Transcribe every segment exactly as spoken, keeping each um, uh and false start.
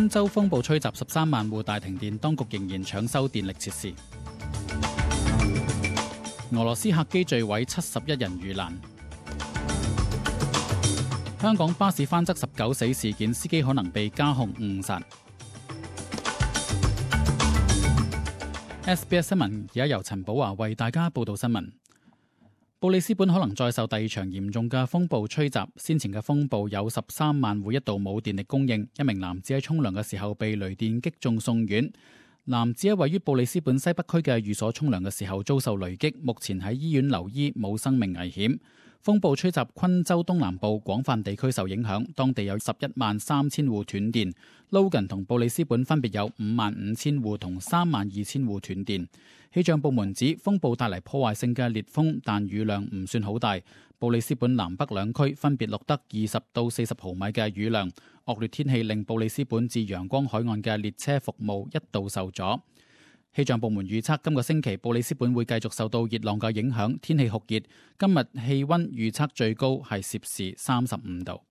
昆州風暴吹襲十三萬戶大停電，當局仍然搶修電力設施。俄羅斯客機墜毀，七十一人遇難。香港巴士翻側十九死事件，司機可能被加控誤殺。S B S 新聞而家由陳寶華為大家報道新聞。布里斯本可能再受第二場嚴重嘅風暴吹襲，先前嘅風暴有十三萬戶一度冇電力供應，一名男子喺沖涼嘅時候被雷電擊中送院。男子喺位於布里斯本西北區嘅寓所沖涼嘅時候遭受雷擊，目前喺醫院留醫，冇生命危險。風暴吹襲昆州東南部，廣泛地區受影響，當地有十一萬三千戶斷電。Logan 同布里斯本分別有五萬五千戶同三萬二千戶斷電。氣象部門指風暴帶嚟破壞性嘅烈風，但雨量唔算好大。布里斯本南北兩區分別錄得二十到四十毫米嘅雨量。惡劣天氣令布里斯本至陽光海岸嘅列車服務一度受阻。氣象部門預測今個星期布里斯本會繼續受到熱浪嘅影響，天氣酷熱。今日氣溫預測最高係攝氏三十五度。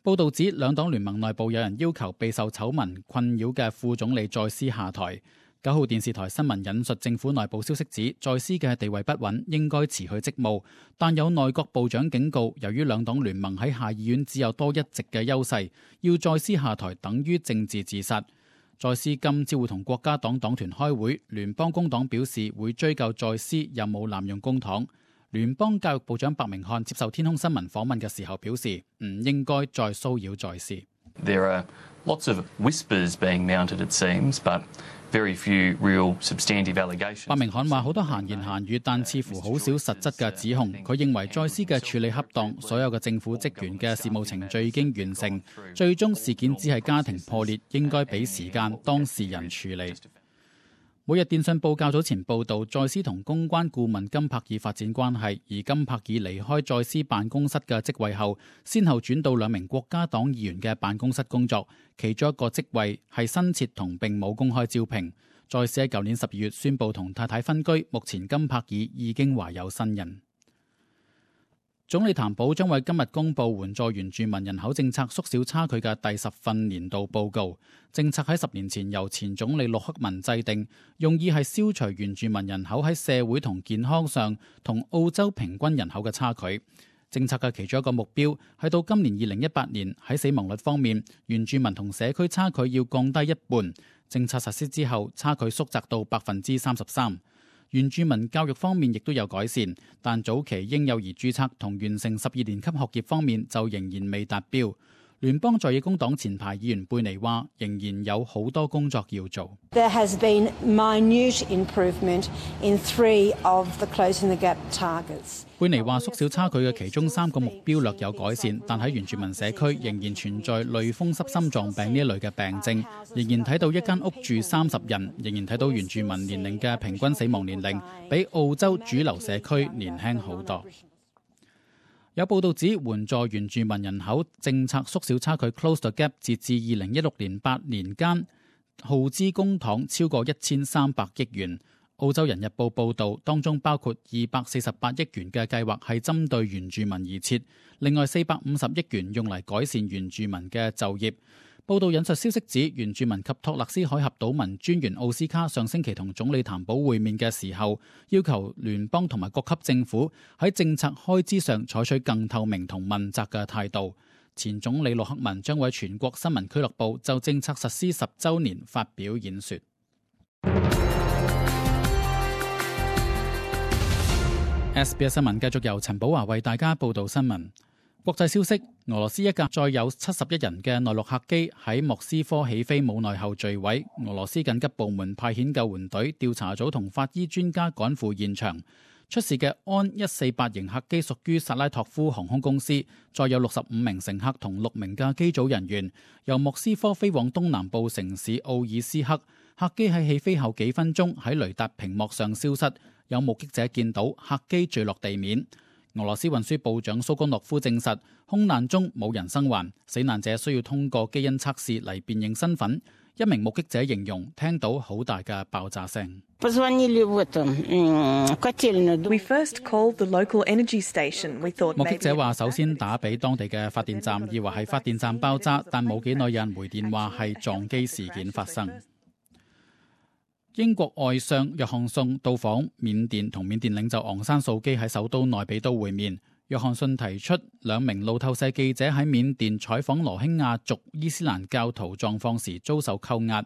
報道指兩黨聯盟內部有人要求備受醜聞困擾嘅副總理再斯下台。九號電視台新聞引述政府內部消息指，再斯嘅地位不穩，應該辭去職務。但有內閣部長警告，由於兩黨聯盟喺下議院只有多一席嘅優勢，要再斯下台等於政治自殺。再斯今朝會同國家黨黨團開會，聯邦工黨表示會追究再斯有冇濫用公帑。聯邦教育部長白明漢接受天空新聞訪問嘅時候表示，唔應該再騷擾再斯。There are lots of whispers being mounted, it seems, but very few real substantive allegations. 白明漢話好多閒言閒語，但似乎好少實質嘅指控。佢認為再斯嘅處理恰當，所有嘅政府職員嘅事務程序已經完成，最終事件只係家庭破裂，應該俾時間當事人處理。每日電訊報較早前報道，再斯同公關顧問金柏爾發展關係，而金柏爾離開再斯辦公室嘅職位後，先後轉到兩名國家黨議員嘅辦公室工作，其中一個職位係新設同並冇公開招聘。再斯喺舊年十二月宣布同太太分居，目前金柏爾已經懷有身孕。總理譚寶將為今日公布援助原住民人口政策縮小差距嘅第十份年度報告。政策喺十年前由前總理陸克文制定，用意係消除原住民人口喺社會同健康上同澳洲平均人口嘅差距。政策嘅其中一個目標係到今年二零一八年喺死亡率方面，原住民同社區差距要降低一半。政策實施之後，差距縮窄到百分之三十三。原住民教育方面亦都有改善，但早期嬰幼兒註冊同完成十二年級學業方面就仍然未達標。聯邦在野工黨前排議員貝尼話，仍然有好多工作要做。There has been minute improvement in three of the closing the gap targets. 貝尼話，縮小差距嘅其中三個目標略有改善，但喺原住民社區仍然存在類風濕心臟病呢一類嘅病症，仍然睇到一間屋住三十人，仍然睇到原住民年齡嘅平均死亡年齡比澳洲主流社區年輕好多。有報道指，援助原住民人口政策縮小差距 Close the Gap， 截至二零一六年八年間耗資公帑超過一千三百億元。澳洲人日報報導，當中包括二百四十八億元嘅計劃係針對原住民而設，另外四百五十億元用嚟改善原住民嘅就業。報道引述消息指，原住民及托勒斯海峽島民專員奧斯卡上星期同總理譚寶會面嘅時候，要求聯邦同埋各級政府喺政策開支上採取更透明同問責嘅態度。前總理陸克文將為全國新聞俱樂部就政策實施十週年發表演說。S B S 新聞繼續由陳寶華為大家報道新聞。國際消息，俄羅斯一架載有七十一人嘅內陸客機喺莫斯科起飛冇耐後墜毀。俄羅斯緊急部門派遣救援隊、調查組同法醫專家趕赴現場。出事嘅安一四八型客機屬於薩拉托夫航空公司，載有六十五名乘客同六名嘅機組人員，由莫斯科飛往東南部城市奧爾斯克。客機喺起飛後幾分鐘喺雷達屏幕上消失，有目擊者見到客機墜落地面。俄羅斯運輸部長蘇江諾夫證實，空難中冇人生還，死難者需要通過基因測試嚟辨認身份。一名目擊者形容聽到好大嘅爆炸聲。We first called the local energy station. We thought 目擊者話：首先打俾當地嘅發電站，以為係發電站爆炸，但冇幾耐有人回電話係撞機事件發生。英國外相約翰遜到訪緬甸，同緬甸領袖昂山素基喺首都內比都會面。約翰遜提出兩名路透社記者喺緬甸採訪羅興亞族伊斯蘭教徒狀況時遭受扣押。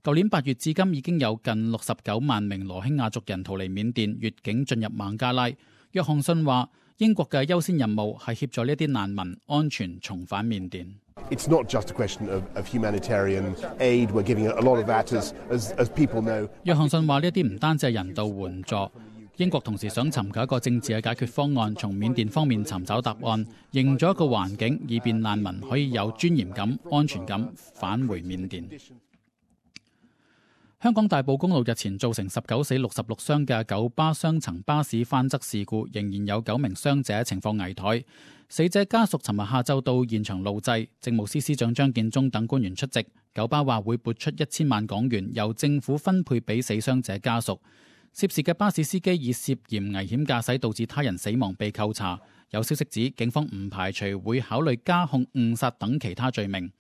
舊年八月至今已經有近六十九萬名羅興亞族人逃離緬甸，越境進入孟加拉。約翰遜話：英國嘅優先任務係協助呢啲難民安全重返緬甸。It's not just a question of, of humanitarian aid. We're giving a lot of that, as, as, as people know. 約翰遜話：呢啲唔單止係人道援助，英國同時想尋求一個政治嘅解決方案，從緬甸方面尋找答案，營造一個環境，以便難民可以有尊嚴感、安全感返回緬甸。香港大埔公路日前造成十九死六十六傷嘅九巴雙層巴士翻側事故，仍然有九名傷者情況危殆。死者家屬尋日下晝到現場路祭，政務司司長張建宗等官員出席。九巴話會撥出一千萬港元，由政府分配俾死傷者家屬。涉事嘅巴士司機以涉嫌危險駕駛導致他人死亡被扣查。有消息指警方唔排除會考慮加控誤殺等其他罪名。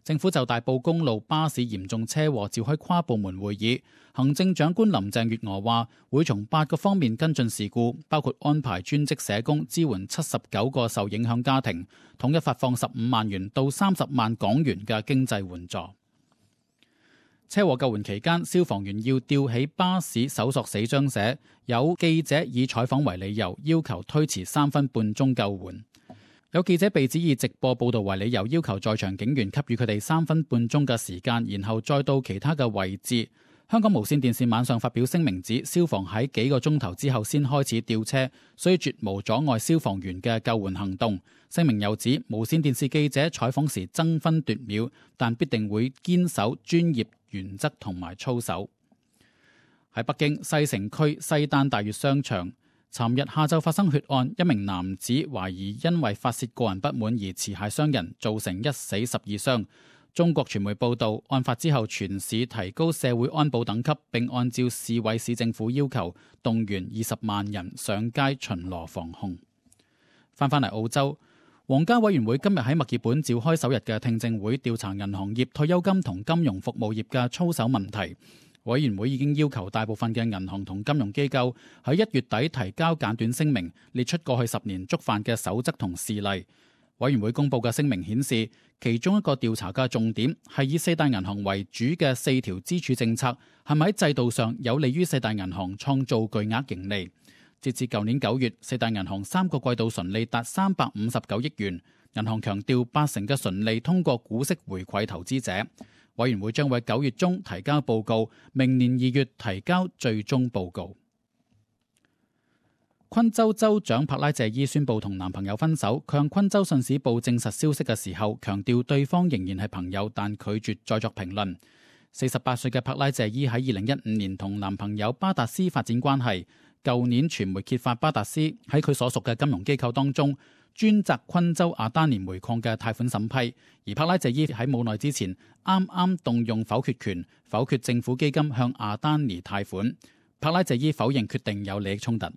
政府就大埔公路巴士嚴重車禍召開跨部門會議，行政長官林鄭月娥話會從八個方面跟進事故，包括安排專職社工支援七十九個受影響家庭，統一發放十五萬元到三十萬港元嘅經濟援助。車禍救援期間，消防員要吊起巴士搜索死傷者，有記者以採訪為理由，要求推遲三分半鐘救援。有記者被指以直播報導為理由，要求在場警員給予佢哋三分半鐘嘅時間，然後再到其他嘅位置。香港無線電視晚上發表聲明指，消防喺幾個鐘頭之後先開始吊車，所以絕無阻礙消防員嘅救援行動。聲明又指，無線電視記者採訪時爭分奪秒，但必定會堅守專業原則同埋操守。喺北京西城區西單大悅商場，尋日下晝發生血案，一名男子懷疑因為發洩個人不滿而持械傷人，造成一死十二傷。中國傳媒報道，案發之後全市提高社會安保等級，並按照市委市政府要求動員二十萬人上街巡邏防控。翻返嚟澳洲，皇家委員會今日喺墨爾本召開首日嘅聽證會，調查銀行業、退休金同金融服務業嘅操守問題。委員會已經要求大部分嘅銀行同金融機構喺一月底提交簡短聲明，列出過去十年觸犯嘅守則同事例。委員會公佈嘅聲明顯示，其中一個調查嘅重點係以四大銀行為主嘅四條支柱政策係咪喺制度上有利於四大銀行創造巨額盈利。截至舊年九月，四大銀行三個季度純利達三百五十九億元。銀行強調八成嘅純利通過股息回饋投資者。委員會將會九月中提交報告，明年二月提交最終報告。昆州州長帕拉謝伊宣布同男朋友分手，佢向昆州信使報證實消息嘅時候，強調對方仍然係朋友，但拒絕再作評論。四十八歲嘅帕拉謝伊喺二零一五年同男朋友巴達斯發展關係。舊年傳媒揭發巴達斯喺佢所屬嘅金融機構當中，專責昆州阿丹尼煤礦嘅貸款審批，而帕拉謝伊喺冇耐之前啱啱動用否決權，否決政府基金向阿丹尼貸款。帕拉謝伊否認決定有利益衝突。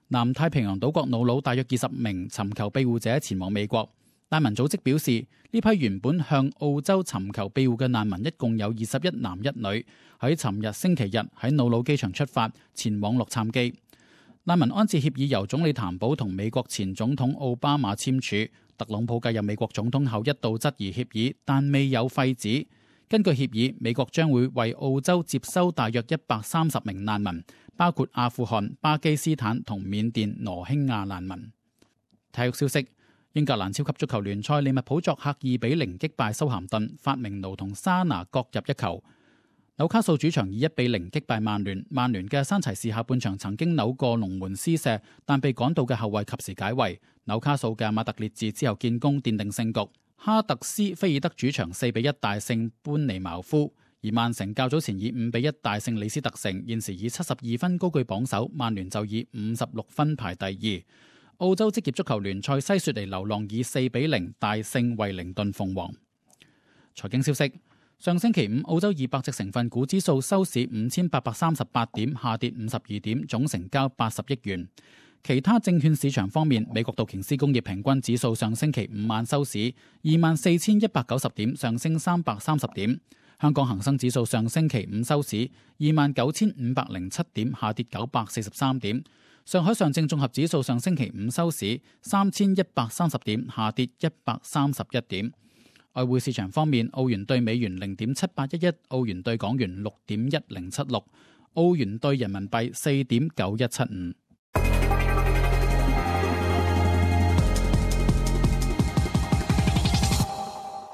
南太平洋島國瑙魯大約二十名尋求庇護者前往美國。難民組織表示，呢批原本向澳洲尋求庇護嘅難民一共有二十一男一女，喺尋日星期日喺瑙魯機場出發，前往洛杉磯。難民安置協議由總理譚寶同美國前總統奧巴馬簽署。特朗普繼任美國總統後一度質疑協議，但未有廢止。根據協議，美國將會為澳洲接收大約一百三十名難民，包括阿富汗、巴基斯坦同緬甸羅興亞難民。體育消息：英格蘭超級足球聯賽，利物浦作客二比零擊敗修咸頓，法明奴同沙拿各入一球。紐卡素主場以一比零擊敗曼聯，曼聯嘅山齊士下半場曾經扭過龍門施射，但被趕到嘅後衛及時解圍。紐卡素嘅馬特列治之後建功，奠定勝局。哈特斯菲爾德主場四比一大勝班尼茅夫，而曼城較早前以五比一大勝李斯特城，現時以七十二分高居榜首，曼聯就以五十六分排第二。澳洲職業足球聯賽西雪梨流浪以四比零大勝惠靈頓鳳凰。財經消息：上星期五，澳洲二百隻成分股指數收市五千八百三十八點，下跌五十二點，總成交八十億元。其他證券市場方面，美國道瓊斯工業平均指數上星期五晚收市二萬四千一百九十點，上升三百三十點。香港恒生指數上星期五收市二萬九千五百零七點，下跌九百四十三點。上海上證綜合指數上星期五收市三千一百三十點，下跌一百三十一點。外匯市場方面，澳元兌美元零點七八一一，澳元兌港元六點一零七六，澳元兌人民幣四點九一七五。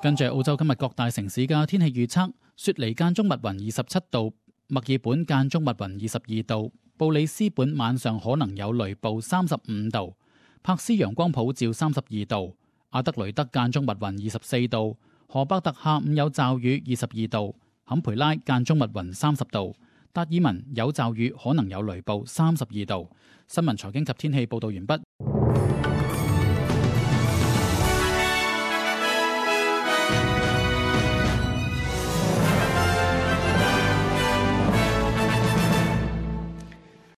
跟住澳洲今日各大城市嘅天氣預測：雪梨間中密雲二十七度，墨爾本間中密雲二十二度，布里斯本晚上可能有雷暴三十五度，柏斯陽光普照三十二度。阿德雷德間中密雲二十四度，荷伯特下午有驟雨二十二度，坎培拉間中密雲三十度，達爾文有驟雨可能有雷暴三十二度。新聞財經及天氣報道完畢。